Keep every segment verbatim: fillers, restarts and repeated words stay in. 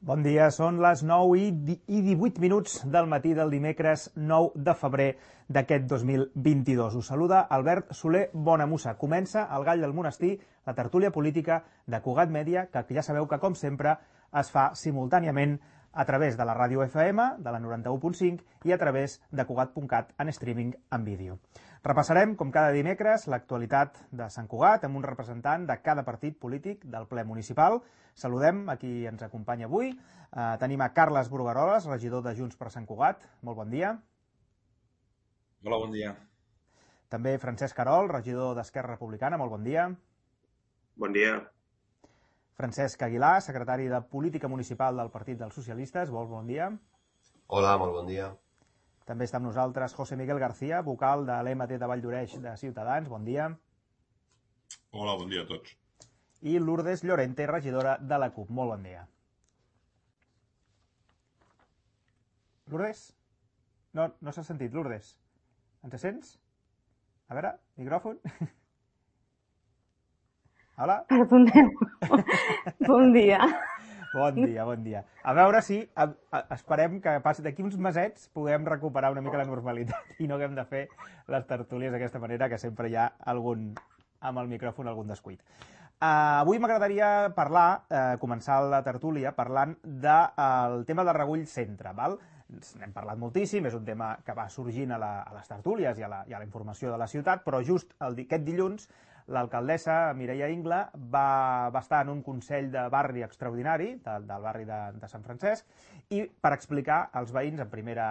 Bon dia, són les nou i divuit minuts del matí del dimecres nou de febrer d'aquest dos mil vint-i-dos. Us saluda Albert Soler Bonamussa. Comença el Gall del Monestir, la tertúlia política de Cugat Mèdia, que ja sabeu que, com sempre, es fa simultàniament a través de la ràdio F M, de la noranta-u punt cinc, i a través de Cugat punt cat en streaming en vídeo. Repassarem, com cada dimecres, l'actualitat de Sant Cugat amb un representant de cada partit polític del ple municipal. Saludem a qui ens acompanya avui. Eh, tenim a Carles Brugueroles, regidor de Junts per Sant Cugat. Molt bon dia. Hola, bon dia. També Francesc Carol, regidor d'Esquerra Republicana. Molt bon dia. Bon dia. Francesc Aguilar, secretari de Política Municipal del Partit dels Socialistes. Molt bon dia. Hola, molt bon dia. També està amb nosaltres José Miguel García, vocal de l'E M T de Valldoreix de Ciutadans. Bon dia. Hola, bon dia a tots. I Lourdes Llorente, regidora de la CUP. Molt bon dia. Lourdes? No, no s'ha sentit, Lourdes. Ens sents? A veure, micròfon. Hola? Perdoneu. Bon dia. Bon dia, bon dia. A veure si a, a, esperem que passi d'aquí uns mesets puguem recuperar una mica la normalitat i no haguem de fer les tertúlies d'aquesta manera, que sempre hi ha algun, amb el micròfon, algun descuit. Uh, avui m'agradaria parlar, uh, començar la tertúlia parlant del de, tema del Regull Centre, val? N'hem parlat moltíssim, és un tema que va sorgint a, la, a les tertúlies i a, la, i a la informació de la ciutat, però just el, aquest dilluns l'alcaldessa Mireia Ingla va, va estar en un consell de barri extraordinari del, del barri de, de Sant Francesc i per explicar als veïns en primera,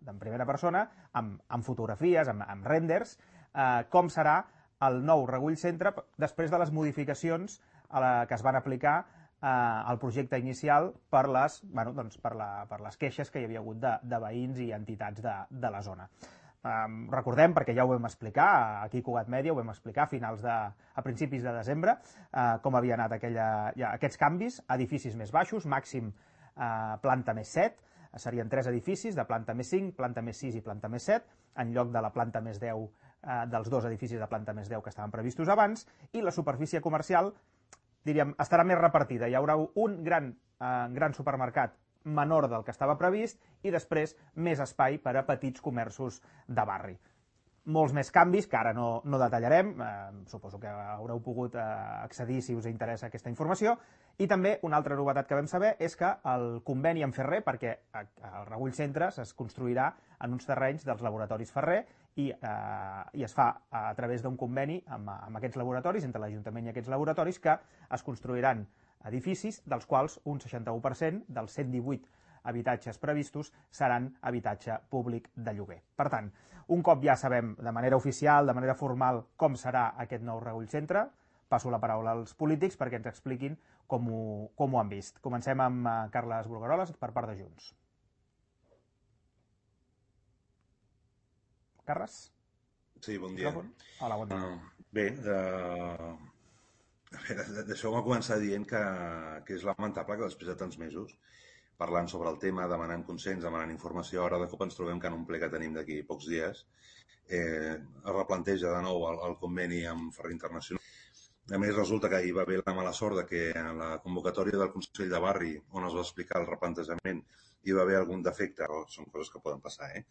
en primera persona, amb, amb fotografies, amb, amb renders, eh, com serà el nou Regull Centre després de les modificacions a la, que es van aplicar eh, al projecte inicial per les, bueno, doncs per, la, per les queixes que hi havia hagut de, de veïns i entitats de, de la zona. Um, recordem, perquè ja ho vam explicar, aquí a Cugat Mèdia ho vam explicar a finals de, a principis de desembre, uh, com havia anat aquella, ja, aquests canvis, edificis més baixos, màxim uh, planta més set, serien tres edificis, de planta més cinc, planta més sis i planta més set, en lloc de la planta més deu uh, dels dos edificis de planta més deu que estaven previstos abans, i la superfície comercial, diríem, estarà més repartida. Hi haurà un gran, uh, gran supermercat menor del que estava previst i després més espai per a petits comerços de barri. Molts més canvis que ara no, no detallarem, eh, suposo que haureu pogut eh, accedir si us interessa aquesta informació, i també una altra novetat que vam saber és que el conveni amb Ferrer, perquè el Regull Centre es construirà en uns terrenys dels laboratoris Ferrer i, eh, i es fa a través d'un conveni amb, amb aquests laboratoris, entre l'Ajuntament i aquests laboratoris, que es construiran edificis, dels quals un seixanta-u per cent dels cent divuit habitatges previstos seran habitatge públic de lloguer. Per tant, un cop ja sabem de manera oficial, de manera formal, com serà aquest nou Regull Centre, passo la paraula als polítics perquè ens expliquin com ho, com ho han vist. Comencem amb uh, Carles Brugueroles per part de Junts. Carles? Sí, bon dia. Hola, bon dia. Uh, bé, uh... deixeu-me començar dient que, que és lamentable que després de tants mesos, parlant sobre el tema, demanant consens, demanant informació, ara de cop ens trobem que en un ple que tenim d'aquí pocs dies eh, es replanteja de nou el, el conveni amb Ferrer Internacional. A més, resulta que hi va haver la mala sort de que en la convocatòria del Consell de Barri, on es va explicar el replantejament, hi va haver algun defecte, són coses que poden passar, eh?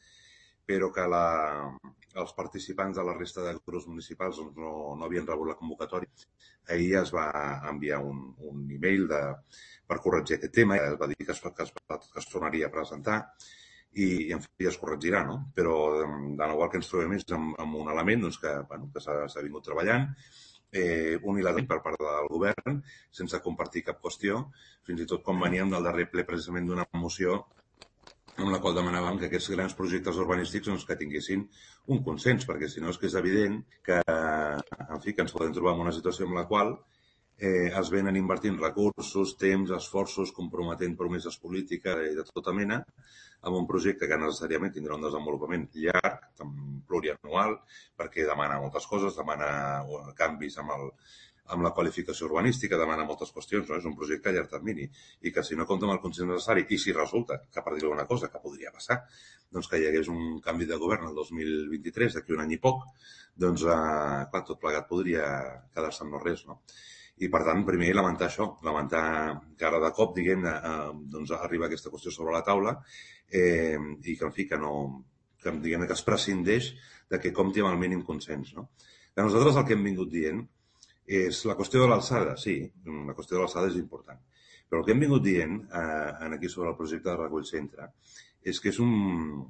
però que la, els participants de la resta de grups municipals doncs, no, no havien rebut la convocatòria. Ahir es va enviar un, un e-mail de, per corregir aquest tema, es va dir que es, que es, que es tornaria a presentar i, i en fi, es corregirà, no? Però de nou el que ens trobem és amb, amb un element doncs, que, bueno, que s'ha vingut treballant, eh, unilateral per part del govern, sense compartir cap qüestió, fins i tot com veníem del darrer ple precisament d'una moció amb la qual demanàvem que aquests grans projectes urbanístics doncs, que tinguessin un consens, perquè si no és que és evident que, en fi, que ens podem trobar en una situació en la qual eh, es venen invertint recursos, temps, esforços, comprometent promeses polítiques i de tota mena amb un projecte que necessàriament tindrà un desenvolupament llarg, plurianual, perquè demana moltes coses, demana canvis amb el amb la qualificació urbanística, demana moltes qüestions, no? És un projecte a llarg termini i que si no compta amb el consens necessari i si resulta que, per dir alguna cosa que podria passar, doncs que hi hagués un canvi de govern el dos mil vint-i-tres, d'aquí un any i poc, doncs, eh, clar, tot plegat podria quedar-se amb no res, no? I, per tant, primer lamentar això, lamentar que ara de cop, diguem-ne, eh, doncs arriba aquesta qüestió sobre la taula eh, i que, en fi, que no... que, diguem-ne, que es prescindeix de que compti amb el mínim consens, no? Que nosaltres el que hem vingut dient és la qüestió de l'alçada, sí, la qüestió de l'alçada és important, però el que hem vingut dient eh, aquí sobre el projecte de Recull Centre és que és un,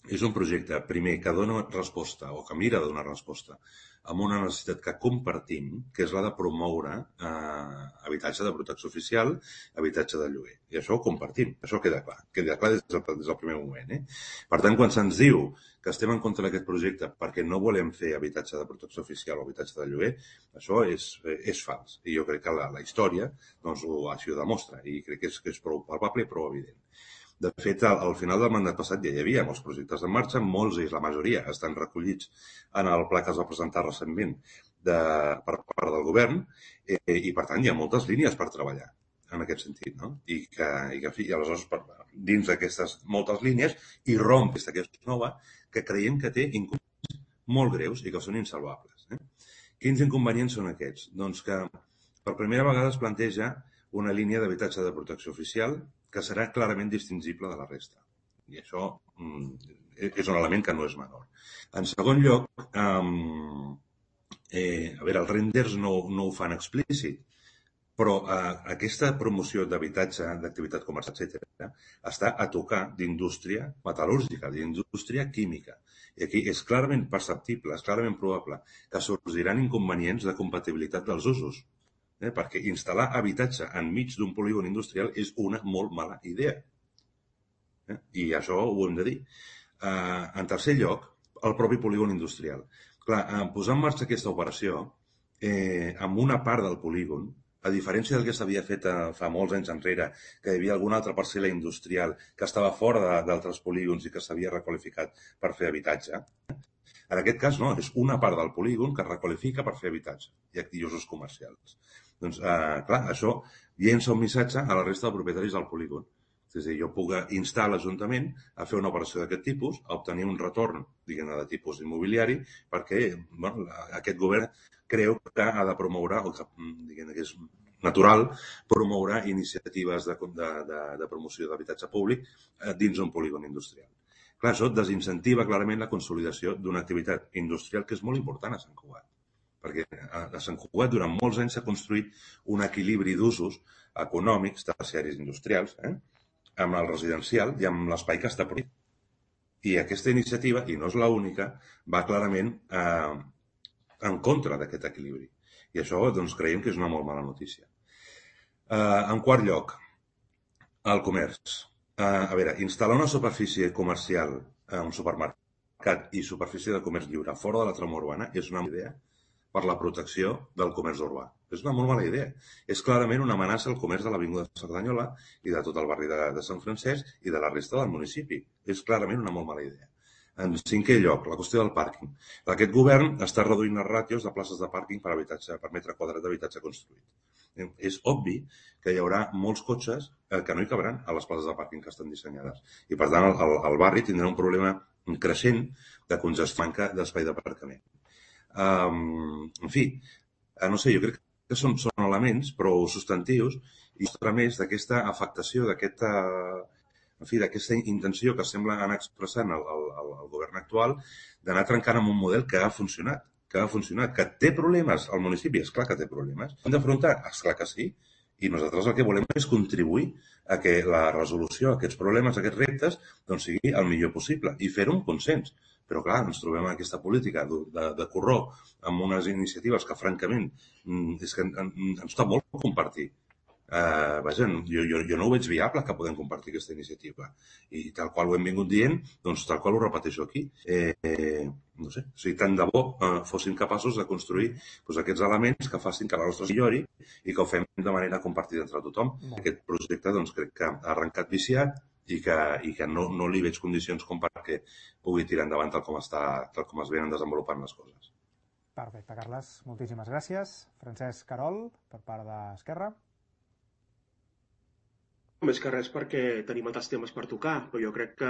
és un projecte, primer, que dona resposta o que mira de donar resposta a una necessitat que compartim, que és la de promoure eh, habitatge de protecció oficial, habitatge de lloguer. I això ho compartim, això queda clar, queda clar des del, des del primer moment. Eh? Per tant, quan se'ns diu que estem en contra d'aquest projecte perquè no volem fer habitatge de protecció oficial o habitatge de lloguer, això és, és fals. I jo crec que la, la història doncs, ho, així ho demostra i crec que és, que és prou palpable i prou evident. De fet, al, al final del mandat passat ja hi havia molts projectes en marxa, molts i la majoria estan recollits en el pla que es va presentar recentment de, per part del govern eh, i, per tant, hi ha moltes línies per treballar en aquest sentit, no? I que, i que i aleshores, per, dins d'aquestes moltes línies, hi romp aquesta que és nova, que creiem que té inconvenients molt greus i que són insalvables. Eh? Quins inconvenients són aquests? Doncs que per primera vegada es planteja una línia d'habitatge de protecció oficial que serà clarament distingible de la resta. I això mm, és un element que no és menor. En segon lloc, um, eh, a veure, els renders no, no ho fan explícit, però eh, aquesta promoció d'habitatge, d'activitat comercial, etcètera, està a tocar d'indústria metal·lúrgica, d'indústria química. I aquí és clarament perceptible, és clarament probable que sorgiran inconvenients de compatibilitat dels usos. Eh, perquè instal·lar habitatge enmig d'un polígon industrial és una molt mala idea. Eh? I això ho hem de dir. Eh, en tercer lloc, el propi polígon industrial. Clar, en posar en marxa aquesta operació, eh, amb una part del polígon, a diferència del que s'havia fet eh, fa molts anys enrere, que hi havia alguna altra parcel·la industrial que estava fora d'altres polígons i que s'havia requalificat per fer habitatge, en aquest cas no, és una part del polígon que es requalifica per fer habitatge i usos comercials. Doncs, eh, clar, això llença un missatge a la resta de propietaris del polígon. És a dir, jo puc instar l'Ajuntament a fer una operació d'aquest tipus, a obtenir un retorn, diguem-ne, de tipus immobiliari, perquè bueno, aquest govern creu que ha de promoure, o que, diguem-ne, que és natural, promoure iniciatives de, de, de, de promoció d'habitatge públic dins d'un polígon industrial. Clar, això desincentiva clarament la consolidació d'una activitat industrial que és molt important a Sant Cugat. Perquè a Sant Cugat durant molts anys s'ha construït un equilibri d'usos econòmics, terciaris industrials, eh? amb el residencial i amb l'espai que està prohibit. I aquesta iniciativa, i no és l'única, va clarament eh, en contra d'aquest equilibri. I això doncs, creiem que és una molt mala notícia. Eh, en quart lloc, el comerç. Eh, a veure, instal·lar una superfície comercial, eh, un supermercat i superfície de comerç lliure fora de la trama urbana és una idea per la protecció del comerç urbà. És una molt mala idea. És clarament una amenaça al comerç de l'Avinguda de Cerdanyola i de tot el barri de, de Sant Francesc i de la resta del municipi. És clarament una molt mala idea. En cinquè lloc, la qüestió del pàrquing. Aquest govern està reduint les ràtios de places de pàrquing per, habitatge, per metre quadrat d'habitatge construït. És obvi que hi haurà molts cotxes que no hi cabran a les places de pàrquing que estan dissenyades. I, per tant, el, el barri tindrà un problema creixent de congestió, manca d'espai d'aparcament. Um, en fi, no sé, jo crec que són, són elements prou substantius i mostra més d'aquesta afectació, d'aquesta, en fi, d'aquesta intenció que sembla anar expressant el, el, el govern actual d'anar trencant amb un model que ha funcionat, que ha funcionat, que té problemes al municipi, és clar que té problemes. Hem d'afrontar? És clar que sí. I nosaltres el que volem és contribuir a que la resolució d'aquests problemes, aquests reptes, doncs sigui el millor possible i fer-ho amb consens. Però, clar, ens trobem en aquesta política de, de, de corró amb unes iniciatives que, francament, és que ens costa molt compartir. Uh, vaja, jo, jo, jo no ho veig viable que podem compartir aquesta iniciativa. I tal qual ho hem vingut dient, doncs tal qual ho repeteixo aquí. Eh, eh, no sé, si tant de bo eh, fossin capaços de construir doncs, aquests elements que facin que la nostra millori i que ho fem de manera compartida entre tothom. Mm. Aquest projecte, doncs, crec que ha arrencat viciat i que, i que no, no li veig condicions com perquè pugui tirar endavant tal com, està, tal com es venen desenvolupant les coses. Perfecte, Carles. Moltíssimes gràcies. Francesc Querol, per part d'Esquerra. Més que res perquè tenim altres temes per tocar, però jo crec que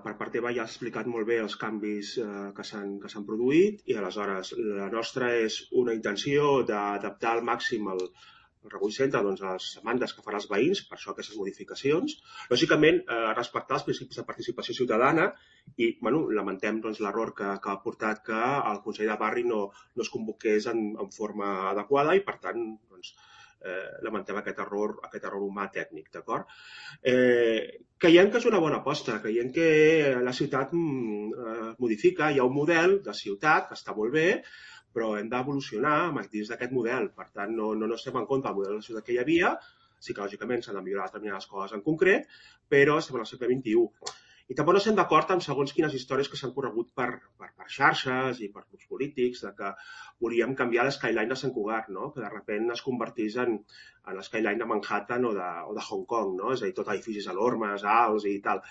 per part teva ja has explicat molt bé els canvis eh, que s'han que s'han produït i aleshores la nostra és una intenció d'adaptar al màxim el, el Recull Centre doncs, a les demandes que faran els veïns, per això aquestes modificacions. Lògicament, eh, respectar els principis de participació ciutadana i bueno, lamentem doncs, l'error que, que ha portat que el Consell de Barri no, no es convoqués en, en forma adequada i, per tant, doncs, eh, lamentem aquest error, aquest error humà tècnic, d'acord? Eh, creiem que és una bona aposta, creiem que la ciutat mm, eh, modifica, hi ha un model de ciutat que està molt bé, però hem d'evolucionar dins d'aquest model. Per tant, no, no, no estem en contra del model de ciutat que hi havia, sí que lògicament s'han de millorar determinades coses en concret, però estem en el segle vint-i-u. I tampoc no estem d'acord amb segons quines històries que s'han corregut per, per, per xarxes i per grups polítics, de que volíem canviar l'skyline de Sant Cugat, no? Que de sobte es convertís en, en l'skyline de Manhattan o de, o de Hong Kong, no? És a dir, tot edificis enormes, alts i tal.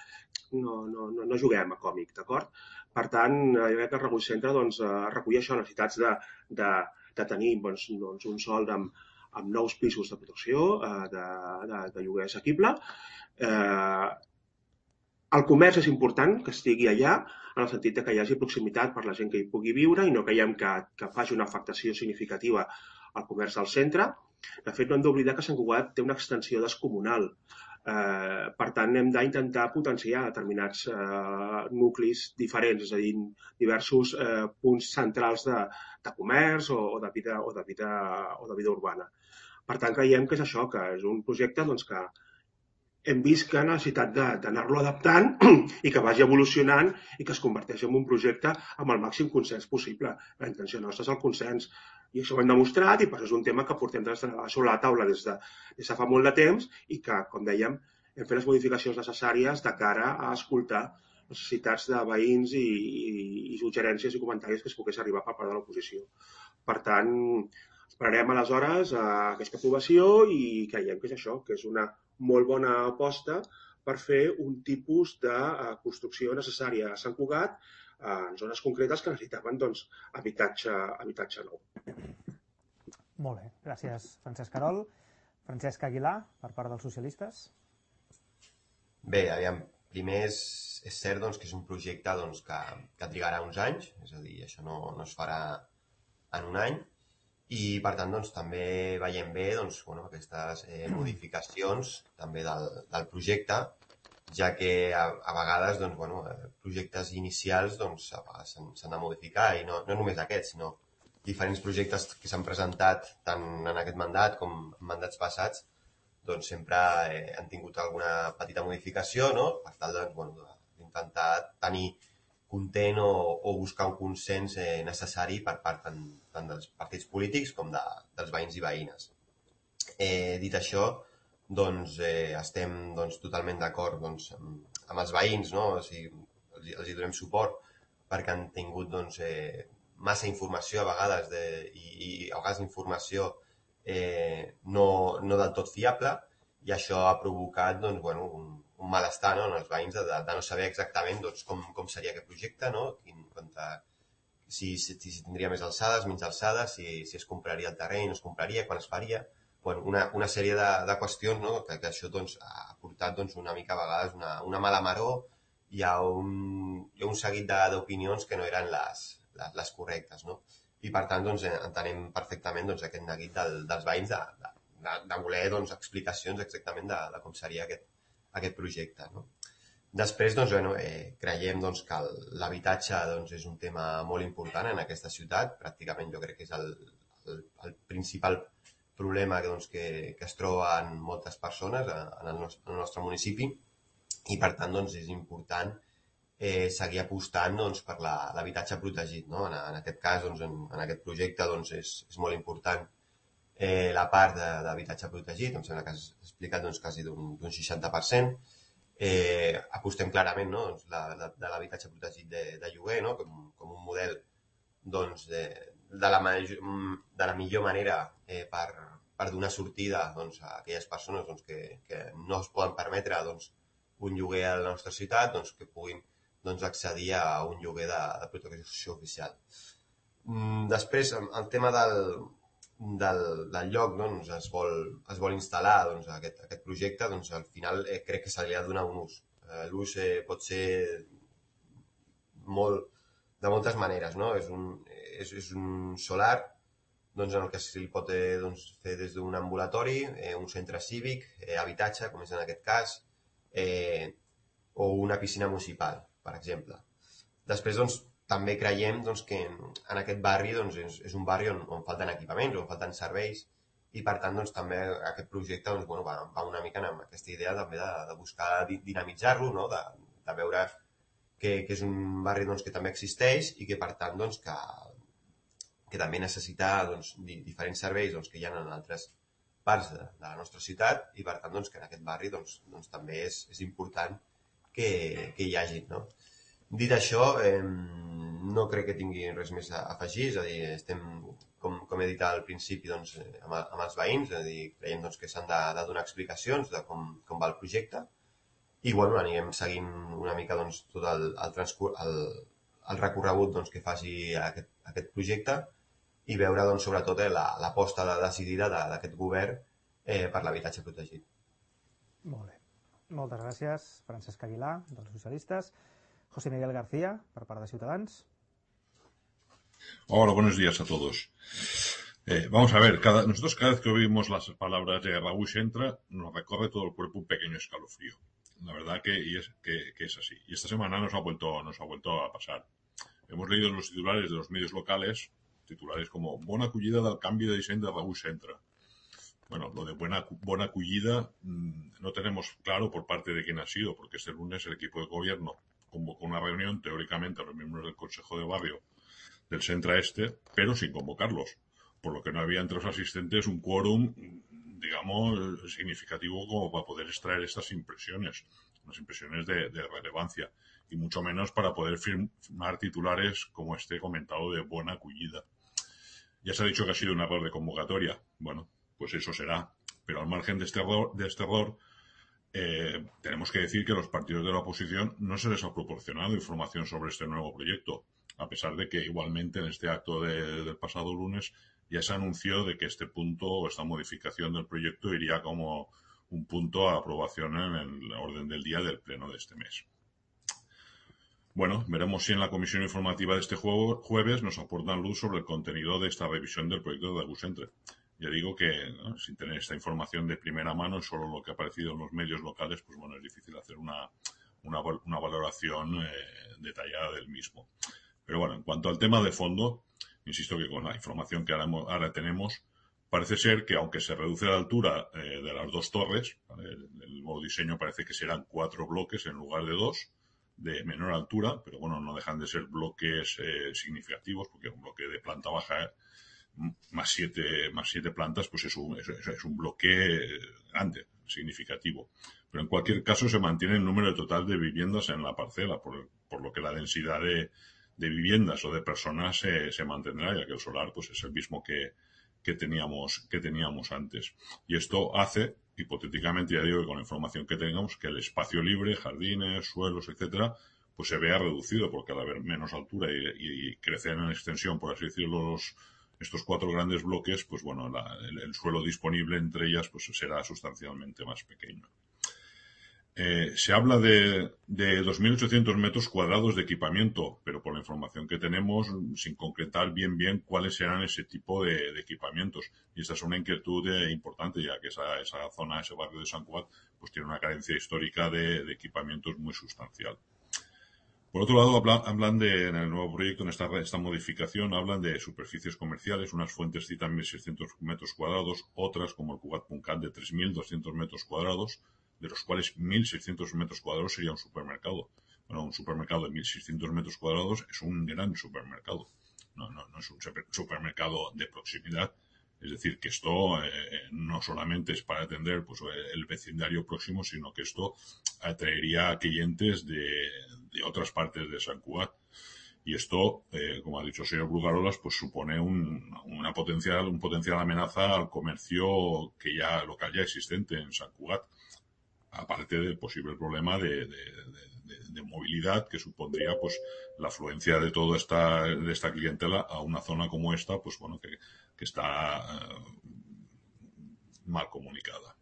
No, no, no, no juguem a còmic, d'acord? Per tant, jo crec que el Recull Centre doncs, recull això, necessitats de, de, de tenir doncs, doncs, un sòl amb, amb nous pisos de protecció, de, de, de lloguer assequible. Eh, el comerç és important que estigui allà, en el sentit que hi hagi proximitat per la gent que hi pugui viure i no creiem que, que faci una afectació significativa al comerç del centre. De fet, no hem d'oblidar que Sant Cugat té una extensió descomunal. Eh, per tant, hem d'intentar potenciar determinats eh, nuclis diferents, és a dir, diversos eh, punts centrals de, de comerç o, o, de vida, o, de vida, o de vida urbana. Per tant, creiem que és això, que és un projecte doncs, que hem vist que necessitat d'anar-lo adaptant i que vagi evolucionant i que es converteixi en un projecte amb el màxim consens possible. La intenció nostra és el consens i això ho hem demostrat i per això és un tema que portem sobre la taula des de, des de fa molt de temps i que, com dèiem, hem fet les modificacions necessàries de cara a escoltar les necessitats de veïns i, i, i suggerències i comentaris que es pogués arribar per part de l'oposició. Per tant, esperarem aleshores a aquesta aprovació i creiem que és això, que és una molt bona aposta per fer un tipus de construcció necessària a Sant Cugat en zones concretes que necessitaven doncs, habitatge, habitatge nou. Molt bé, gràcies Francesc Querol. Francesc Aguilar, per part dels socialistes. Bé, aviam, primer és, és cert doncs, que és un projecte doncs, que, que trigarà uns anys, és a dir, això no, no es farà en un any, i per tant doncs, també veiem bé doncs, bueno, aquestes eh, modificacions també del, del projecte, ja que a, a vegades doncs, bueno, projectes inicials doncs, a vegades s'han de modificar i no, no només aquests, sinó diferents projectes que s'han presentat tant en aquest mandat com en mandats passats doncs sempre eh, han tingut alguna petita modificació, no? Per tal de, bueno, d'intentar tenir content o, o buscar un consens eh, necessari per part tant, tant dels partits polítics com de, dels veïns i veïnes. Eh, dit això, doncs, eh, estem doncs, totalment d'acord doncs, amb, amb els veïns, no? O sigui, els, els hi donem suport perquè han tingut doncs, eh, massa informació a vegades de, i, i a vegades informació eh, no, no del tot fiable i això ha provocat doncs, bueno, un, un malestar, no? En els veïns de, de no saber exactament doncs, com, com seria aquest projecte, no? Quin, quanta, si, si, si tindria més alçades, menys alçades, si, si es compraria el terreny, no es compraria, quan es faria. Bueno, una, una sèrie de, de qüestions, no? que, que això doncs, ha portat doncs, una mica a vegades una, una mala maror i hi ha un, hi ha un seguit d'opinions que no eren les, les, les correctes. No? I per tant doncs, entenem perfectament doncs, aquest neguit del, dels veïns de, de, de voler doncs, explicacions exactament de, de com seria aquest, aquest projecte. No? Després, doncs, bueno, eh, creiem doncs, que l'habitatge doncs, és un tema molt important en aquesta ciutat. Pràcticament jo crec que és el, el, el principal problema que, doncs, que, que es troben moltes persones en el nostre, en el nostre municipi i, per tant, doncs, és important eh, seguir apostant doncs, per l'habitatge protegit. No? En, en aquest cas, doncs, en, en aquest projecte, doncs, és, és molt important Eh, la part d'habitatge protegit, em sembla que has explicat doncs, quasi d'un seixanta per cent. Eh, apostem clarament no? doncs, la, de, de l'habitatge protegit de, de lloguer no? com, com un model doncs, de, de, la, de la millor manera eh, per, per donar sortida doncs, a aquelles persones doncs, que, que no es poden permetre doncs, un lloguer a la nostra ciutat, doncs, que puguin doncs, accedir a un lloguer de, de protecció oficial. Mm, després, el tema del del, del lloc, doncs, es vol, es vol instal·lar doncs, aquest, aquest projecte, doncs, al final eh, crec que se li ha de donar un ús. Eh, L'ús eh, pot ser molt, de moltes maneres, no? És un, és, és un solar doncs, en el que se li pot eh, doncs, fer des d'un ambulatori, eh, un centre cívic, eh, habitatge, com és en aquest cas, eh, o una piscina municipal, per exemple. Després, doncs, també creiem doncs, que en aquest barri doncs, és, és un barri on, on falten equipaments, on falten serveis, i per tant doncs, també aquest projecte doncs, bueno, va, va una mica amb aquesta idea també de, de buscar dinamitzar-lo, no? de, de veure que, que és un barri doncs, que també existeix i que per tant doncs, que, que també necessita doncs, diferents serveis doncs, que hi ha en altres parts de, de la nostra ciutat i per tant doncs, que en aquest barri doncs, doncs, també és, és important que, que hi hagi, no? Dit això, eh, no crec que tingui res més a afegir, és a dir, estem, com, com he dit al principi, doncs, amb, amb els veïns, és a dir, creiem doncs, que s'han de, de donar explicacions de com, com va el projecte i bueno, anirem seguint una mica doncs, tot el, el, transcur el, el recorregut doncs, que faci aquest, aquest projecte i veure doncs, sobretot eh, l'aposta la, decidida d'aquest govern eh, per l'habitatge protegit. Molt bé. Moltes gràcies, Francesc Aguilar, dels socialistes. José Miguel García, por parte de Ciutadans. Hola, buenos días a todos. Eh, vamos a ver, cada, nosotros cada vez que oímos las palabras de Raúl Entra, nos recorre todo el cuerpo un pequeño escalofrío. La verdad que, y es, que, que es así. Y esta semana nos ha vuelto, nos ha vuelto a pasar. Hemos leído en los titulares de los medios locales, titulares como «Bona acollida del canvi de disseny de Raúl Entra». Bueno, lo de buena, buena acollida mmm, no tenemos claro por parte de quién ha sido, porque este lunes el equipo de gobierno convocó una reunión, teóricamente, a los miembros del Consejo de Barrio del Centra Este, pero sin convocarlos, por lo que no había entre los asistentes un quórum, digamos, significativo como para poder extraer estas impresiones, unas impresiones de, de relevancia, y mucho menos para poder firmar titulares como este comentado de buena acollida. Ya se ha dicho que ha sido un error de convocatoria. Bueno, pues eso será, pero al margen de este error, de este error Eh, tenemos que decir que a los partidos de la oposición no se les ha proporcionado información sobre este nuevo proyecto, a pesar de que igualmente en este acto de, del pasado lunes ya se anunció de que este punto o esta modificación del proyecto iría como un punto a aprobación en el orden del día del pleno de este mes. Bueno, veremos si en la comisión informativa de este jueves nos aportan luz sobre el contenido de esta revisión del proyecto de Raúl Entra. Ya digo que, ¿no?, sin tener esta información de primera mano, solo lo que ha aparecido en los medios locales, pues bueno, es difícil hacer una, una, una valoración eh, detallada del mismo. Pero bueno, en cuanto al tema de fondo, insisto que con la información que ahora, ahora tenemos, parece ser que aunque se reduce la altura eh, de las dos torres, ¿vale?, el, el nuevo diseño parece que serán cuatro bloques en lugar de dos, de menor altura, pero bueno, no dejan de ser bloques eh, significativos, porque un bloque de planta baja eh, más siete, más siete plantas, pues es un, es, es un bloque grande, significativo. Pero en cualquier caso se mantiene el número total de viviendas en la parcela, por, por lo que la densidad de, de viviendas o de personas se, se mantendrá, ya que el solar pues es el mismo que, que teníamos, que teníamos antes. Y esto hace, hipotéticamente, ya digo que con la información que tengamos, que el espacio libre, jardines, suelos, etcétera, pues se vea reducido, porque al haber menos altura y, y crecer en extensión, por así decirlo, los estos cuatro grandes bloques, pues bueno, la, el, el suelo disponible entre ellas pues será sustancialmente más pequeño. Eh, se habla de, de dos mil ochocientos metros cuadrados de equipamiento, pero por la información que tenemos, sin concretar bien bien cuáles serán ese tipo de, de equipamientos. Y esta es una inquietud eh, importante, ya que esa, esa zona, ese barrio de Sant Cugat, pues tiene una carencia histórica de, de equipamientos muy sustancial. Por otro lado, hablan, hablan de, en el nuevo proyecto, en esta, esta modificación, hablan de superficies comerciales. Unas fuentes citan mil seiscientos metros cuadrados, otras, como el Cugat.cat, de tres mil doscientos metros cuadrados, de los cuales mil seiscientos metros cuadrados sería un supermercado. Bueno, un supermercado de mil seiscientos metros cuadrados es un gran supermercado. No, no, no es un supermercado de proximidad. Es decir, que esto eh, no solamente es para atender pues, el vecindario próximo, sino que esto atraería a clientes de, de otras partes de Sant Cugat. Y esto, eh, como ha dicho el señor Brugarolas, pues supone un, una potencial, un potencial amenaza al comercio que ya local ya existente en Sant Cugat, aparte del posible problema de, de, de, de, de movilidad que supondría pues la afluencia de toda esta, de esta clientela a una zona como esta, pues bueno, que, que está uh, mal comunicada.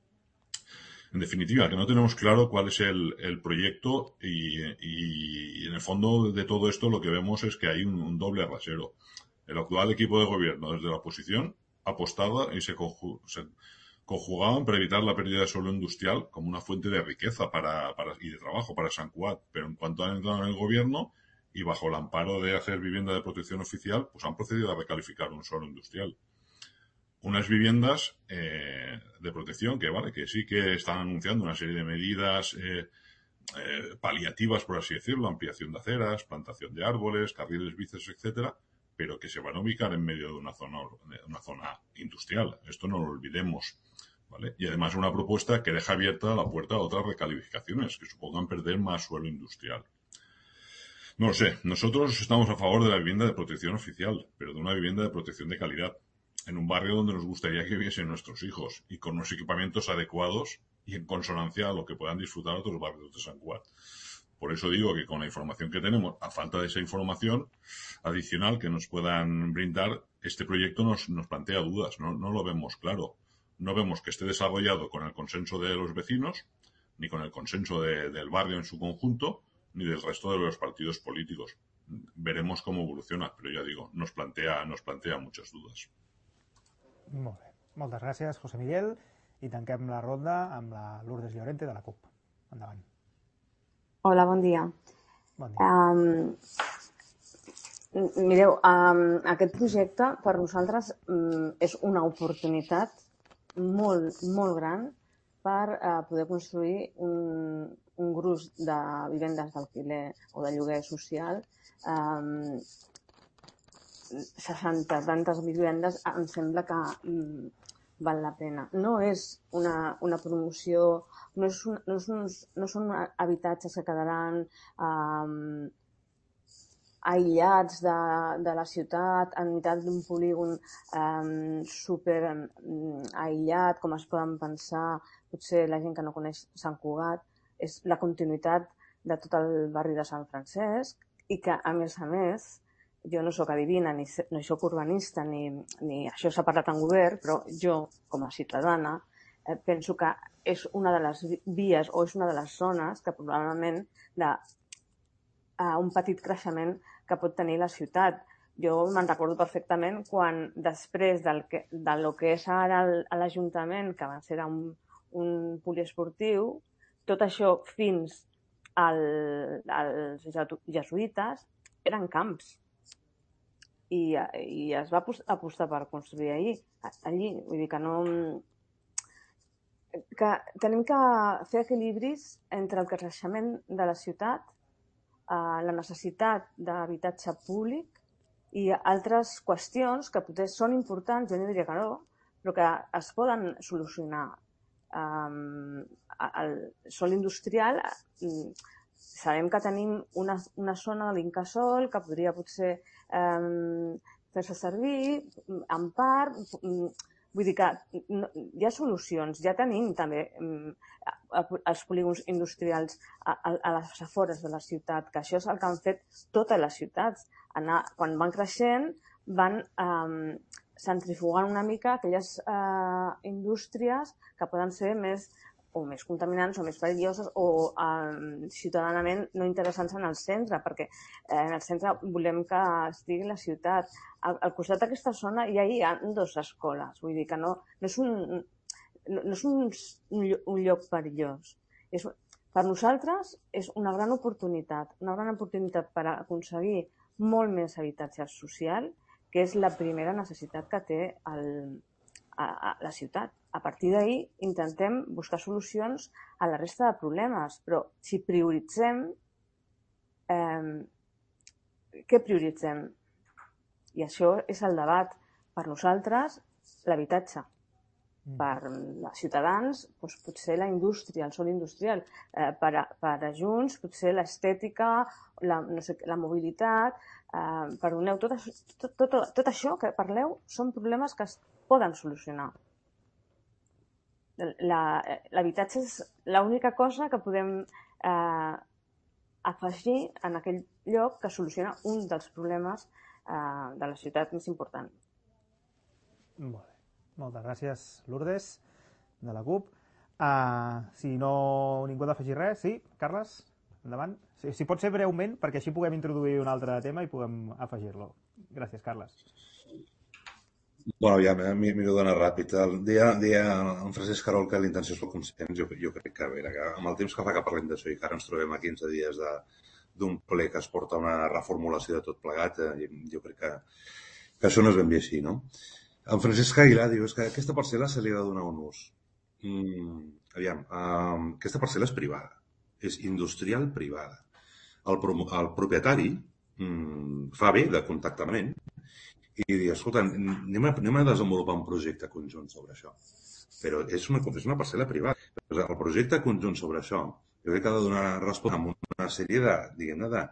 En definitiva, que no tenemos claro cuál es el, el proyecto y, y en el fondo de todo esto lo que vemos es que hay un, un doble rasero. El actual equipo de gobierno desde la oposición apostaba y se, conju, se conjugaban para evitar la pérdida de suelo industrial como una fuente de riqueza para, para, y de trabajo para Sant Cugat. Pero en cuanto han entrado en el gobierno y bajo el amparo de hacer vivienda de protección oficial, pues han procedido a recalificar un suelo industrial. Unas viviendas eh, de protección que, vale, que sí que están anunciando una serie de medidas eh, eh, paliativas, por así decirlo, ampliación de aceras, plantación de árboles, carriles bicis, etcétera, pero que se van a ubicar en medio de una zona, de una zona industrial. Esto no lo olvidemos, ¿vale? Y además una propuesta que deja abierta la puerta a otras recalificaciones que supongan perder más suelo industrial. No lo sé, nosotros estamos a favor de la vivienda de protección oficial, pero de una vivienda de protección de calidad, en un barrio donde nos gustaría que viviesen nuestros hijos y con unos equipamientos adecuados y en consonancia a lo que puedan disfrutar otros barrios de Sant Cugat. Por eso digo que con la información que tenemos, a falta de esa información adicional que nos puedan brindar, este proyecto nos, nos plantea dudas, no, no lo vemos claro. No vemos que esté desarrollado con el consenso de los vecinos, ni con el consenso de, del barrio en su conjunto, ni del resto de los partidos políticos. Veremos cómo evoluciona, pero ya digo, nos plantea, nos plantea muchas dudas. Molt bé. Moltes gràcies, José Miguel. I tanquem la ronda amb la Lourdes Llorente de la CUP. Endavant. Hola, bon dia. Bon dia. Um, mireu, um, aquest projecte per nosaltres um, és una oportunitat molt, molt gran per uh, poder construir un, un gruix de vivendes d'alquiler o de lloguer social. Um, seixanta tantes vivendes em sembla que um, val la pena. No és una, una promoció, no, és un, no, és uns, no són habitatges que quedaran um, aïllats de, de la ciutat, en meitat d'un polígon um, super um, aïllat, com es poden pensar potser la gent que no coneix Sant Cugat. És la continuïtat de tot el barri de Sant Francesc i que, a més a més, jo no sóc adivina, ni no sóc urbanista, ni, ni això s'ha parlat en govern, però jo, com a ciutadana, eh, penso que és una de les vies o és una de les zones que probablement de uh, un petit creixement que pot tenir la ciutat. Jo me'n recordo perfectament quan després del que, de lo que és ara l'Ajuntament, que abans era un, un poliesportiu, tot això fins al, als jesuïtes eren camps. I, i es va apostar per construir allí, allí. Vull dir que no... que tenim que fer equilibris entre el creixement de la ciutat, eh, la necessitat d'habitatge públic i altres qüestions que potser són importants, jo no diria que no, però que es poden solucionar. Um, el sòl industrial, um, sabem que tenim una, una zona de l'Incasòl que podria potser um, fer-se servir en part, um, vull dir que no, hi ha solucions, ja tenim també um, els polígons industrials a, a, a les afores de la ciutat, que això és el que han fet totes les ciutats. Anar, quan van creixent van um, centrifugant una mica aquelles uh, indústries que poden ser més o més contaminants o més perilloses o eh, ciutadanament no interessants en el centre, perquè eh, en el centre volem que estigui la ciutat. Al, al costat d'aquesta zona ja hi ha dues escoles, vull dir que no, no és, un, no, no és un, un lloc perillós. És, per nosaltres és una gran oportunitat, una gran oportunitat per aconseguir molt més habitatge social, que és la primera necessitat que té el, a, a la ciutat. A partir d'ahir intentem buscar solucions a la resta de problemes, però si prioritzem, eh, què prioritzem? I això és el debat. Per nosaltres, l'habitatge. Per els ciutadans, doncs, potser la indústria, el sòl industrial. Eh, per, a, per a Junts, potser l'estètica, la, no sé, la mobilitat. Eh, perdoneu, tot, tot, tot, tot això que parleu són problemes que es poden solucionar. L'habitatge és l'única cosa que podem eh, afegir en aquell lloc que soluciona un dels problemes eh, de la ciutat més important. Molt bé. Moltes gràcies, Lourdes, de la CUP. Uh, si no ningú ha d'afegir res, sí? Carles, endavant. Si, si pot ser breument, perquè així puguem introduir un altre tema i puguem afegir-lo. Gràcies, Carles. Bueno, ja m'hi dona ràpid. El dia, dia en Francesc Carol que la intenció és el consens, jo, jo crec que, a veure, que amb el temps que fa que parlem d'això i que ara ens trobem a quinze dies d'un ple que es porta una reformulació de tot plegat, eh, jo crec que, que això no és ben bé així, no? En Francesc Aguilar diu és que aquesta parcel·la se li ha de donar un ús. Mm, aviam, um, aquesta parcel·la és privada, és industrial privada. El, el propietari mm, fa bé de contactament i dir, escolta, anem a, anem a desenvolupar un projecte conjunt sobre això. Però és una, és una parcel·la privada. El projecte conjunt sobre això, jo crec que ha de donar resposta a una sèrie de, diguem-ne, de,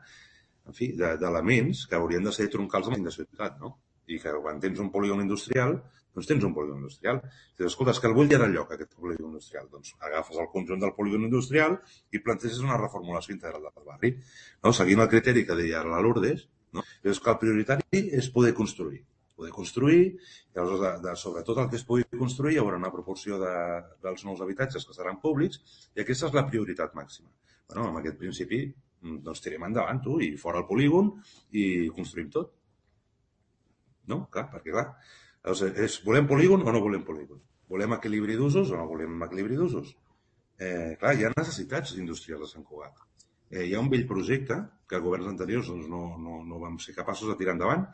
en fi, d'elements que haurien de ser troncals amb la ciutat, no? I que quan tens un polígon industrial, doncs tens un polígon industrial. Si dius, escolta, és que el vull allà lloc, aquest polígon industrial. Doncs agafes el conjunt del polígon industrial i planteges una reformulació integral del barri. No? Seguint el criteri que deia la Lourdes, no? És que el prioritari és poder construir. Poder construir, i aleshores, de, de, sobretot el que es pugui construir, hi haurà una proporció de, dels nous habitatges que seran públics, i aquesta és la prioritat màxima. Bueno, amb aquest principi, doncs tirem endavant, tu, i fora el polígon, i construïm tot. No? Clar, perquè clar, és, volem polígon o no volem polígon? Volem equilibri d'usos o no volem equilibri d'usos? Eh, clar, hi ha necessitats industrials a Sant Cugat. Eh, hi ha un vell projecte que governs anteriors doncs, no, no, no vam ser capaços de tirar endavant,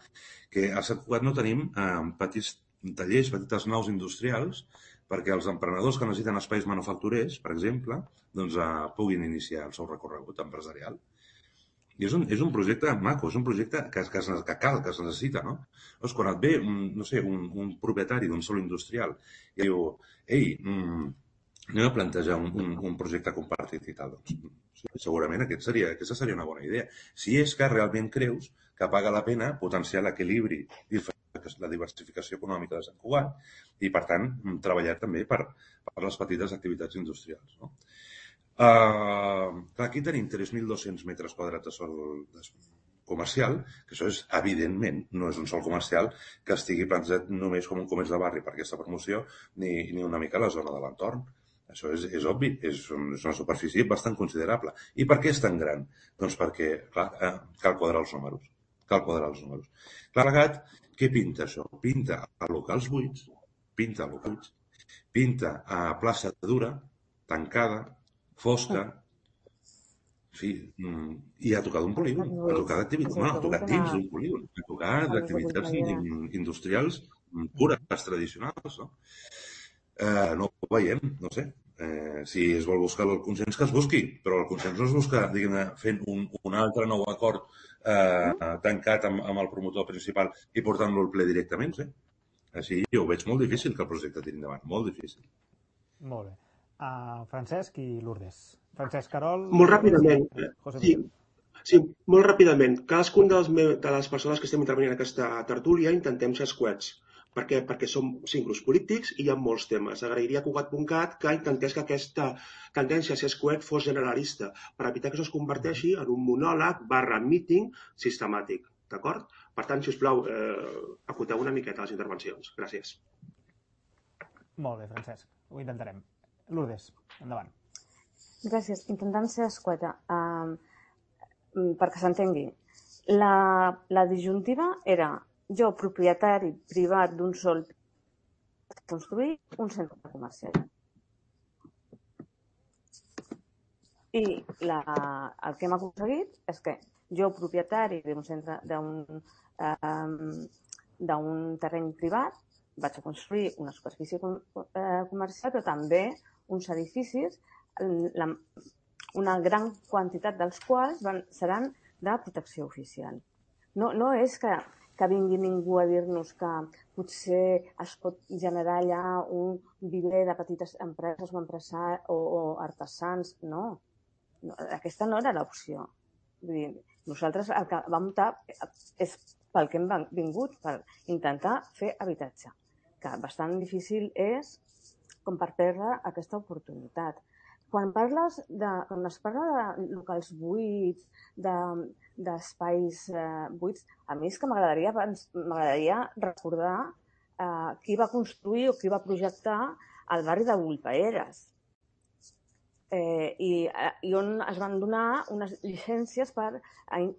que a Sant Cugat no tenim eh, petits tallers, petites naus industrials, perquè els emprenedors que necessiten espais manufacturers, per exemple, doncs, eh, puguin iniciar el seu recorregut empresarial. I és un, és un projecte maco, és un projecte que, que, que cal, que es necessita, no? Llavors, quan et ve, un, no sé, un, un propietari d'un sòl industrial i diu, ei, mm, anem a plantejar un, un, un projecte compartit i tal, doncs segurament aquest seria, aquesta seria una bona idea. Si és que realment creus que paga la pena potenciar l'equilibri i la diversificació econòmica de Sant Cugat i, per tant, treballar també per, per les petites activitats industrials, no? Uh, aquí tenim tres mil dos-cents metres quadrats de sòl comercial, que això és, evidentment, no és un sòl comercial que estigui plantejat només com un comerç de barri per aquesta promoció, ni, ni una mica la zona de l'entorn. Això és, és obvi, és, un, és una superfície bastant considerable. I per què és tan gran? Doncs perquè, clar, eh, cal quadrar els números. Cal quadrar els números. Plegat, què pinta això? Pinta a locals buits, pinta a locals buits, pinta a plaça dura, tancada, fosca, en fi, i ha tocat un polígon, ha tocat d'activitats, bueno, ha tocat dins d'un polígon, ha tocat d'activitats industrials pures, tradicionals, no? Eh, no ho veiem, no sé. Eh, si es vol buscar el consens, que es busqui, però el consens no es busca, diguem-ne, fent un, un altre nou acord eh, tancat amb, amb el promotor principal i portant-lo al ple directament, sí. Així jo ho veig molt difícil que el projecte tiri endavant, molt difícil. Molt bé. Uh, Francesc i Lourdes. Francesc Carol... Molt ràpidament. Sí, sí, molt ràpidament. Cadascun de les, de les persones que estem intervenint en aquesta tertúlia intentem ser escuets. Per què? Perquè som cinc grups polítics i hi ha molts temes. Agrairia a Cugat punt cat que intentés que aquesta tendència a ser escuet fos generalista, per evitar que això es converteixi en un monòleg barra meeting sistemàtic. D'acord? Per tant, si us plau, eh, acoteu una miqueta les intervencions. Gràcies. Molt bé, Francesc. Ho intentarem. Lourdes, endavant. Gràcies. Intentant ser escueta, um, perquè s'entengui. La, la disjuntiva era jo, propietari privat d'un sòl, construir un centre comercial. I la, el que hem aconseguit és que jo, propietari d'un centre d'un um, d'un terreny privat, vaig a construir una superfície comercial, però també uns edificis, la, una gran quantitat dels quals van, seran de protecció oficial. No, no és que, que vingui ningú a dir-nos que potser es pot generar allà un viver de petites empreses o, o, o artesans. No. no, aquesta no era l'opció. Nosaltres el que vam optar és pel que hem vingut, per intentar fer habitatge, que bastant difícil és com per perdre aquesta oportunitat. quan parles de, quan es parla de locals buits, d'espais de, eh, buits, a mi és que m'agradaria m'agradaria recordar eh, qui va construir o qui va projectar el barri de Bullpaeres. Eh, i, i on es van donar unes llicències per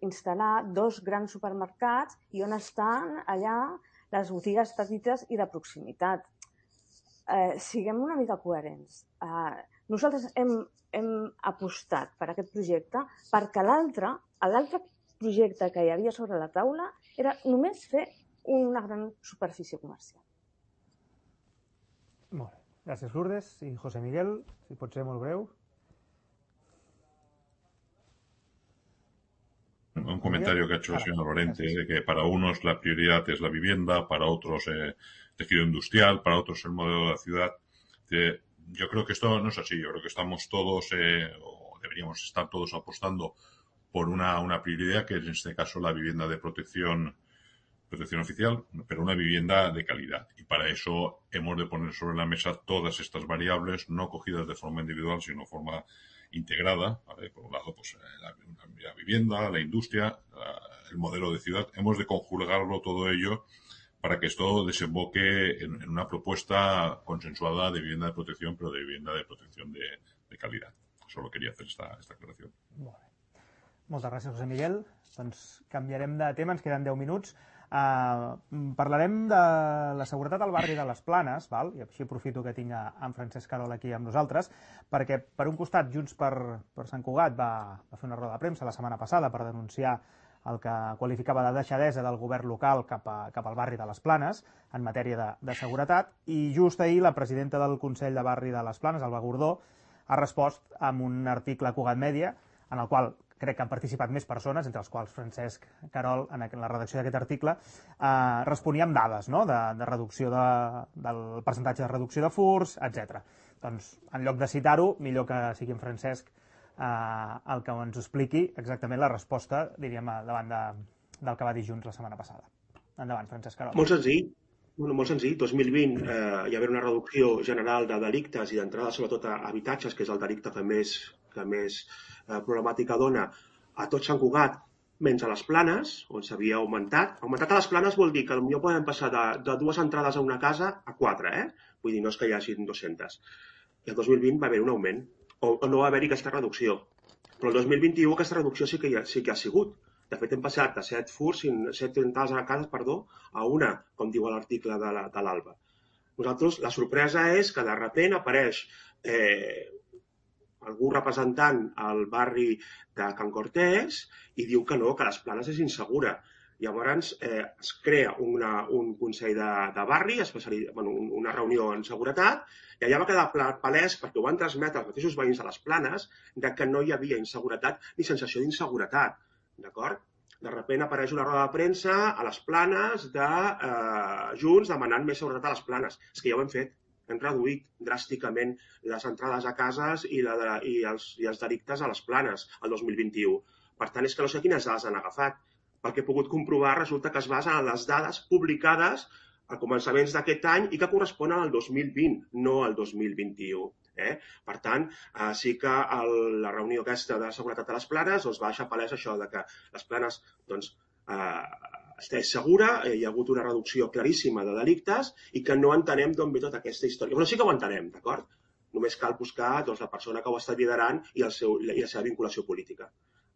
instal·lar dos grans supermercats i on estan allà les botigues petites i de proximitat. Eh, siguem una mica coherents. Eh, nosaltres hem, hem apostat per aquest projecte perquè l'altre, l'altre projecte que hi havia sobre la taula era només fer una gran superfície comercial. Molt bé. Gràcies, Lourdes. I José Miguel, si pot ser molt breu. Un comentario que ha hecho el señor Lorente, de que para unos la prioridad es la vivienda, para otros eh, tejido industrial, para otros el modelo de la ciudad. Eh, yo creo que esto no es así. Yo creo que estamos todos, eh, o deberíamos estar todos apostando por una, una prioridad, que es en este caso la vivienda de protección, protección oficial, pero una vivienda de calidad. Y para eso hemos de poner sobre la mesa todas estas variables, no cogidas de forma individual, sino de forma integrada, ¿vale? Por un lado, pues la, la vivienda, la industria, la, el modelo de ciudad. Hemos de conjugarlo todo ello para que esto desemboque en, en una propuesta consensuada de vivienda de protección, pero de vivienda de protección de, de calidad. Solo quería hacer esta, esta aclaración. Molt bé. Moltes gràcies, José Miguel. Doncs canviarem de tema, ens queden deu minuts. Uh, parlarem de la seguretat al barri de les Planes, val? I així aprofito que tinc en Francesc Carol aquí amb nosaltres, perquè per un costat Junts per, per Sant Cugat va, va fer una roda de premsa la setmana passada per denunciar el que qualificava de deixadesa del govern local cap, a, cap al barri de les Planes en matèria de, de seguretat, i just ahir la presidenta del Consell de Barri de les Planes, Alba Gordó, ha respost amb un article a Cugat Mèdia en el qual crec que han participat més persones, entre els quals Francesc Carol, en la redacció d'aquest article, eh, responia amb dades, no?, de, de reducció de, del percentatge de reducció de furs, etcètera. Doncs, en lloc de citar-ho, millor que sigui en Francesc eh, el que ens expliqui exactament la resposta, diríem, davant de, del que va dir Junts la setmana passada. Endavant, Francesc Carol. Molt senzill. Bueno, molt senzill. dos mil vint eh, hi va haver una reducció general de delictes i d'entrada sobretot a habitatges, que és el delicte que més, que més eh, problemàtica dona a tot Sant Cugat, menys a les Planes, on s'havia augmentat. Augmentat a les Planes vol dir que potser podem passar de, de dues entrades a una casa a quatre, eh? Vull dir, no és que hi hagin dues-centes. I el dos mil vint va haver un augment, o, o no va haver-hi aquesta reducció. Però el dos mil vint-i-u aquesta reducció sí que hi ha, sí que ha sigut. De fet, hem passat de set furs, set entrades a casa, perdó, a una, com diu l'article de l'Alba. Nosaltres, la sorpresa és que de sobte apareix eh, algú representant al barri de Can Cortés i diu que no, que les Planes és insegura. Llavors eh, es crea una, un consell de, de barri, bueno, una reunió en seguretat, i allà va quedar palès, perquè ho van transmetre els mateixos veïns de les Planes, de que no hi havia inseguretat ni sensació d'inseguretat. D'acord? De sobte apareix una roda de premsa a les Planes de eh, Junts demanant més seguretat a les Planes. És que ja ho hem fet. Hem reduït dràsticament les entrades a cases i, la de, i, els, i els delictes a les Planes el dos mil vint-i-u. Per tant, és que no sé quines dades han agafat. Pel que he pogut comprovar, resulta que es basen en les dades publicades a començaments d'aquest any i que corresponen al dos mil vint, no al dos mil vint-i-u. Eh? Per tant, eh, sí que el, la reunió aquesta de seguretat a les Planes doncs, va deixar palès això de que les Planes doncs, eh, és segura, eh, hi ha hagut una reducció claríssima de delictes i que no entenem d'on ve tota aquesta història. Però sí que ho entenem, d'acord? Només cal buscar doncs, la persona que ho està liderant i, el seu, i la seva vinculació política.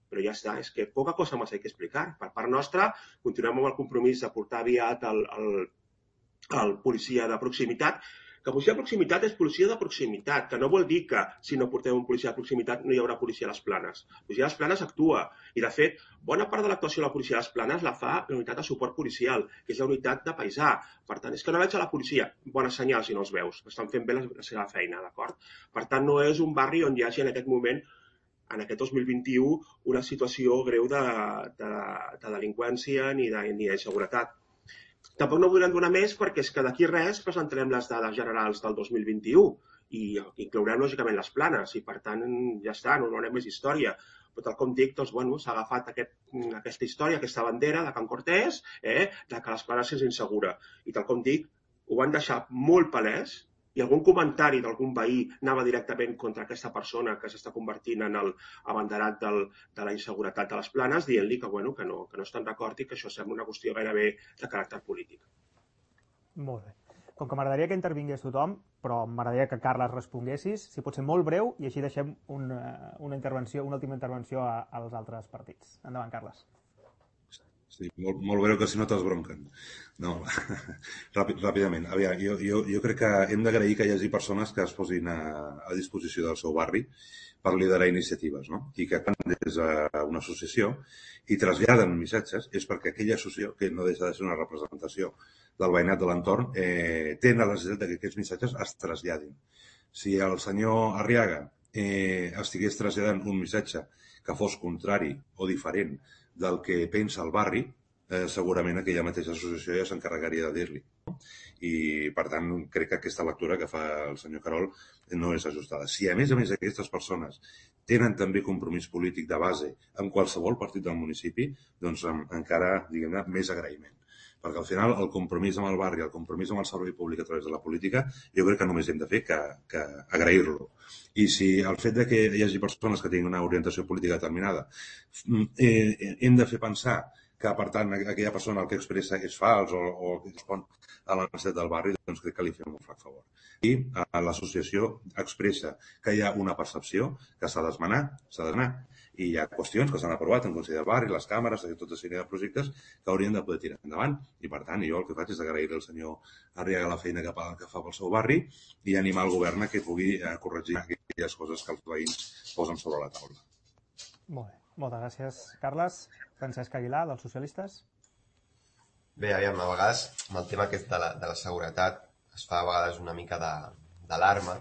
Però ja està, és que poca cosa més hay que explicar. Per part nostra, continuem amb el compromís de portar aviat el, el, el policia de proximitat, que policia de proximitat és policia de proximitat, que no vol dir que si no portem un policia de proximitat no hi haurà policia a les Planes. La policia a les Planes actua i, de fet, bona part de l'actuació de la policia a les Planes la fa la unitat de suport policial, que és la unitat de paisà. Per tant, és que no veig a la policia. Bona senyal si no els veus. Estan fent bé la, la seva feina, d'acord? Per tant, no és un barri on hi hagi en aquest moment, en aquest dos mil vint-i-u, una situació greu de, de, de delinqüència ni de, ni d'inseguretat. Tampoc no podrem donar més perquè és que d'aquí res presentarem les dades generals del dos mil vint-i-u i inclourem lògicament les Planes i per tant ja està, no donarem més història. Però tal com dic, doncs, bueno, s'ha agafat aquest, aquesta història, aquesta bandera de Can Cortés, eh, de que les Planes és insegura. I tal com dic, ho van deixar molt palès i algun comentari d'algun veí anava directament contra aquesta persona que s'està convertint en el abanderat del, de la inseguretat de les Planes, dient-li que, bueno, que, no, que no estan d'acord i que això sembla una qüestió gairebé de caràcter polític. Molt bé. Com que m'agradaria que intervingués tothom, però m'agradaria que Carles responguessis, si pot ser molt breu, i així deixem una, una intervenció, una última intervenció a, als altres partits. Endavant, Carles. Sí, molt, molt breu, que si no t'esbronquen. No, ràpid, ràpidament. Aviam, jo, jo, jo crec que hem d'agrair que hi hagi persones que es posin a, a disposició del seu barri per liderar iniciatives, no? I que quan des d'una associació i traslladen missatges és perquè aquella associació, que no deixa de ser una representació del veïnat de l'entorn, eh, té la necessitat que aquests missatges es traslladin. Si el senyor Arriaga eh, estigués traslladant un missatge que fos contrari o diferent del que pensa el barri, eh, segurament aquella mateixa associació ja s'encarregaria de dir-li. No? I, per tant, crec que aquesta lectura que fa el senyor Carol no és ajustada. Si, a més a més, aquestes persones tenen també compromís polític de base en qualsevol partit del municipi, doncs encara, diguem-ne, més agraïment. Perquè al final el compromís amb el barri, el compromís amb el servei públic a través de la política, jo crec que només hem de fer que, que agrair-lo. I si el fet de que hi hagi persones que tinguin una orientació política determinada, eh, hem de fer pensar que, per tant, aquella persona el que expressa és fals o, o que respon a la necessitat del barri, doncs crec que li fem un flac favor. I eh, l'associació expressa que hi ha una percepció que s'ha d'esmenar, s'ha d'anar, i hi ha qüestions que s'han aprovat en Consell del Barri, les càmeres, tota una sèrie de projectes que haurien de poder tirar endavant. I, per tant, jo el que faig és agrair al senyor Arriaga la feina que fa, que fa pel seu barri i animar el govern a que pugui eh, corregir aquelles coses que els veïns posen sobre la taula. Molt bé. Moltes gràcies, Carles. Francesc Aguilar, dels socialistes. Bé, aviam, a vegades, amb el tema aquest de la, de la seguretat, es fa a vegades una mica d'alarma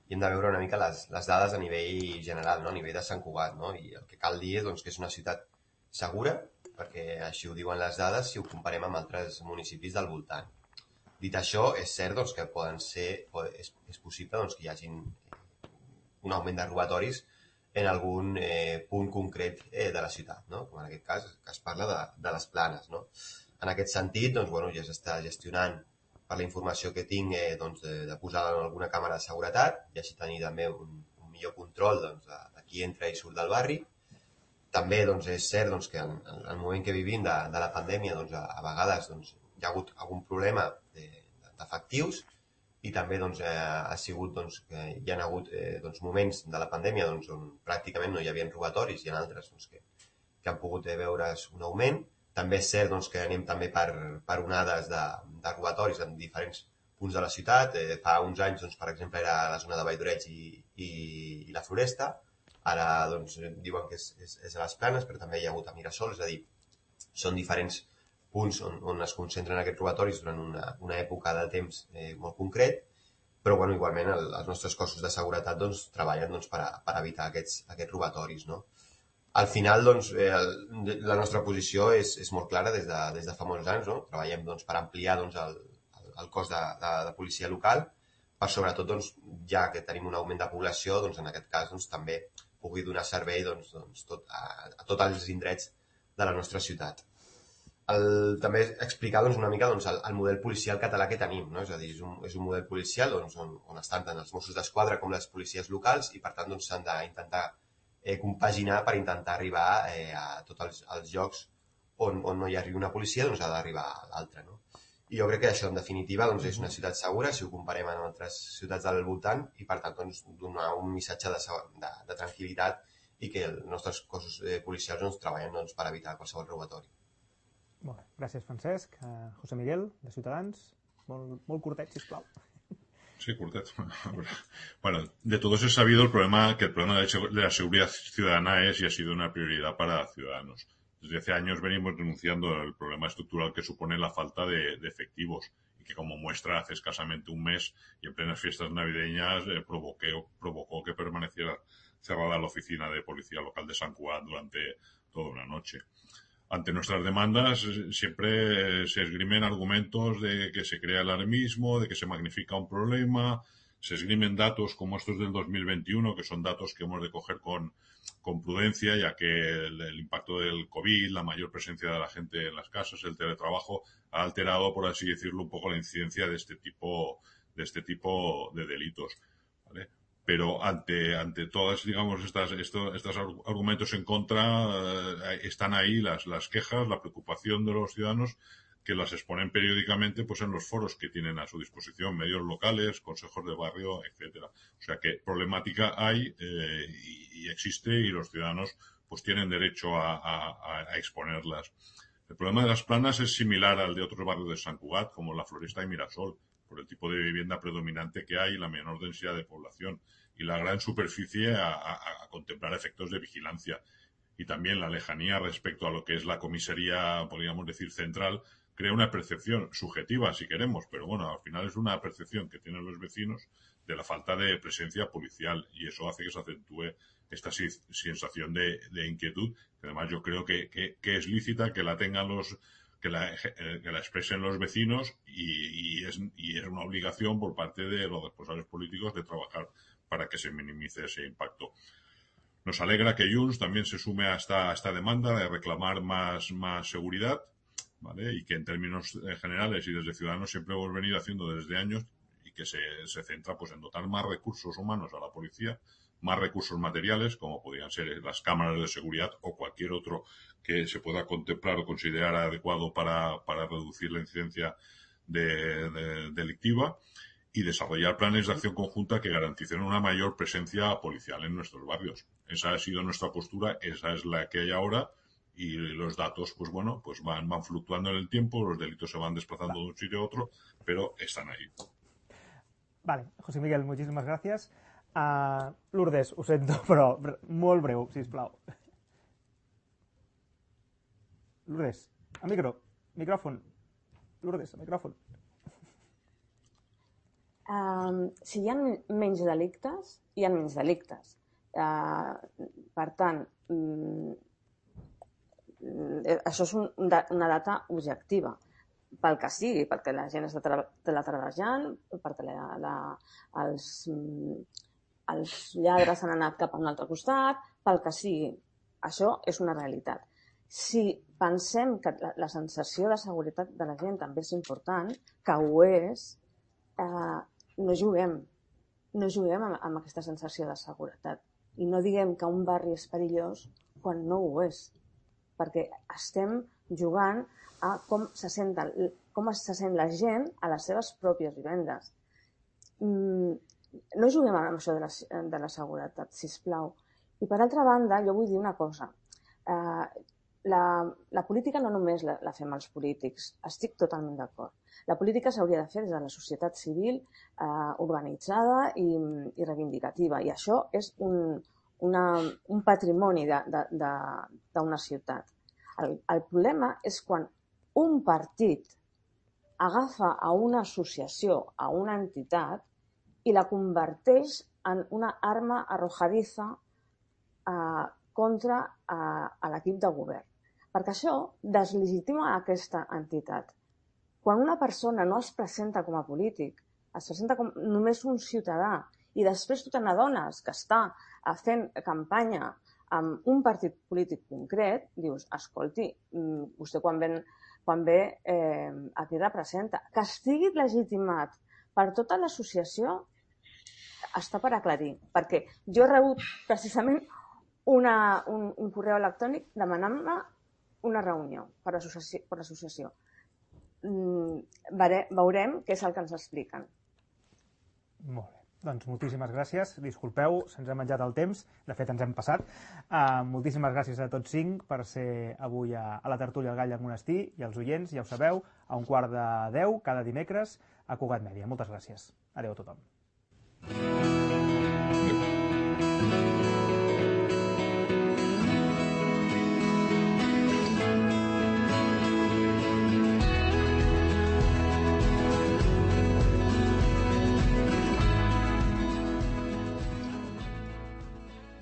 i hem de veure una mica les, les dades a nivell general, no? A nivell de Sant Cugat, no? I el que cal dir és doncs, que és una ciutat segura, perquè així ho diuen les dades si ho comparem amb altres municipis del voltant. Dit això, és cert doncs, que poden ser, és, és possible doncs, que hi hagi un augment de robatoris en algun eh, punt concret eh, de la ciutat, no? Com en aquest cas, que es parla de, de les Planes, no? En aquest sentit, doncs, bueno, ja s'està gestionant per la informació que tinc eh, doncs, de, de posar en alguna càmera de seguretat i així tenir també un, un millor control doncs, de, de qui entra i surt del barri. També doncs, és cert doncs, que en, en el moment que vivim de, de la pandèmia doncs, a, a vegades doncs, hi ha hagut algun problema d'efectius i també doncs, eh, ha sigut doncs, que hi ha hagut eh, doncs, moments de la pandèmia doncs, on pràcticament no hi havia robatoris i en altres doncs, que, que han pogut eh, veure's un augment. També és cert doncs, que anem també per, per onades de, de robatoris en diferents punts de la ciutat. Eh, fa uns anys, doncs, per exemple, era la zona de Valldoreig i, i, i la Floresta. Ara doncs, diuen que és, és, és a les Planes, però també hi ha hagut a Mirasol. És a dir, són diferents punts on, on es concentren aquests robatoris durant una, una època de temps eh, molt concret. Però bueno, igualment el, els nostres cossos de seguretat doncs, treballen doncs, per, a, per evitar aquests, aquests robatoris, no? Al final, doncs, eh, la nostra posició és, és molt clara des de, des de fa molts anys, no? Treballem doncs, per ampliar doncs, el, el cos de, de, de policia local, per sobretot, doncs, ja que tenim un augment de població, doncs, en aquest cas doncs, també pugui donar servei doncs, doncs, tot, a, a tots els indrets de la nostra ciutat. El, també explicar doncs, una mica doncs, el, el model policial català que tenim, no? És a dir, és un, és un model policial doncs, on, on estan tant els Mossos d'Esquadra com les policies locals i, per tant, doncs, s'han d'intentar Eh, compaginar per intentar arribar eh, a tots els, els llocs on, on no hi arribi una policia, doncs ha d'arribar a l'altra, no? I jo crec que això, en definitiva, doncs, és una ciutat segura, si ho comparem amb altres ciutats del voltant, i per tant, doncs, donar un missatge de, de, de tranquil·litat i que els nostres cossos eh, policials doncs, treballen doncs, per evitar qualsevol robatori. Molt bé. Gràcies, Francesc. Uh, José Miguel, de Ciutadans. Molt, molt curtet, sisplau. Sí, cortet. Bueno, de todos es sabido el problema, que el problema de la seguridad ciudadana es y ha sido una prioridad para Ciudadanos. Desde hace años venimos denunciando el problema estructural que supone la falta de, de efectivos y que, como muestra, hace escasamente un mes y en plenas fiestas navideñas eh, provoqué, provocó que permaneciera cerrada la oficina de policía local de Sant Cugat durante toda una noche. Ante nuestras demandas siempre se esgrimen argumentos de que se crea alarmismo, de que se magnifica un problema, se esgrimen datos como estos del dos mil veintiuno, que son datos que hemos de coger con, con prudencia, ya que el, el impacto del COVID, la mayor presencia de la gente en las casas, el teletrabajo, ha alterado, por así decirlo, un poco la incidencia de este tipo de este tipo de delitos, ¿vale? Pero ante, ante todas, digamos, estas, estos, estos argumentos en contra, eh, están ahí las, las quejas, la preocupación de los ciudadanos, que las exponen periódicamente pues en los foros que tienen a su disposición, medios locales, consejos de barrio, etcétera. O sea que problemática hay eh, y, y existe, y los ciudadanos pues tienen derecho a, a, a exponerlas. El problema de las Planas es similar al de otros barrios de Sant Cugat, como la Floresta y Mirasol, por el tipo de vivienda predominante que hay y la menor densidad de población, y la gran superficie a, a, a contemplar efectos de vigilancia. Y también la lejanía respecto a lo que es la comisaría, podríamos decir, central, crea una percepción subjetiva, si queremos, pero bueno, al final es una percepción que tienen los vecinos de la falta de presencia policial, y eso hace que se acentúe esta sensación de, de inquietud, que además yo creo que, que, que es lícita, que la tengan los, que la, que la expresen los vecinos, y, y, es, y es una obligación por parte de los responsables políticos de trabajar para que se minimice ese impacto. Nos alegra que Junts también se sume a esta, a esta demanda de reclamar más, más seguridad, ¿vale? Y que en términos generales y desde Ciudadanos siempre hemos venido haciendo desde años, y que se, se centra pues en dotar más recursos humanos a la policía, más recursos materiales, como podrían ser las cámaras de seguridad o cualquier otro que se pueda contemplar o considerar adecuado para, para reducir la incidencia de, de, delictiva, y desarrollar planes de acción conjunta que garanticen una mayor presencia policial en nuestros barrios. Esa ha sido nuestra postura, esa es la que hay ahora, y los datos, pues bueno, pues van, van fluctuando en el tiempo, los delitos se van desplazando de un sitio a otro, pero están ahí. Vale, José Miguel, muchísimas gracias. Uh, Lourdes, ho sento, però molt breu, sisplau. Lourdes, a micro, micròfon. Lourdes, a micròfon. Um, si hi ha menys delictes, hi ha menys delictes. Uh, per tant, um, això és un, una data objectiva, pel que sigui, perquè la gent està teletreballant, perquè la, la, els, els lladres han anat cap a un altre costat, pel que sigui. Això és una realitat. Si pensem que la, la sensació de seguretat de la gent també és important, que ho és, eh, no juguem. No juguem amb, amb aquesta sensació de seguretat. I no diguem que un barri és perillós quan no ho és. Perquè estem jugant a com se sent, com se sent la gent a les seves pròpies vivendes. No juguem amb això de la, de la seguretat, sisplau. I per altra banda, jo vull dir una cosa. Eh, la, la política no només la, la fem els polítics, estic totalment d'acord. La política s'hauria de fer des de la societat civil eh, organitzada i, i reivindicativa, i això és un, una, un patrimoni d'una ciutat. El, el problema és quan un partit agafa a una associació, a una entitat, i la converteix en una arma arrojadiza eh, contra eh, l'equip de govern. Perquè això deslegitima aquesta entitat. Quan una persona no es presenta com a polític, es presenta com només un ciutadà, i després tu te n'adones que està fent campanya amb un partit polític concret, dius, escolti, vostè quan ven quan ve eh, aquí representa. Que estigui legitimat per tota l'associació està per aclarir, perquè jo he rebut precisament una, un, un correu electrònic demanant-me una reunió per l'associació. Mm, veurem què és el que ens expliquen. Molt bé. Doncs moltíssimes gràcies. Disculpeu, se'ns ha menjat el temps. De fet, ens hem passat. Uh, moltíssimes gràcies a tots cinc per ser avui a, a la tertúlia al Gall del Monestir, i als oients, ja ho sabeu, a un quart de deu cada dimecres a Cugat Mèdia. Moltes gràcies. Adéu a tothom.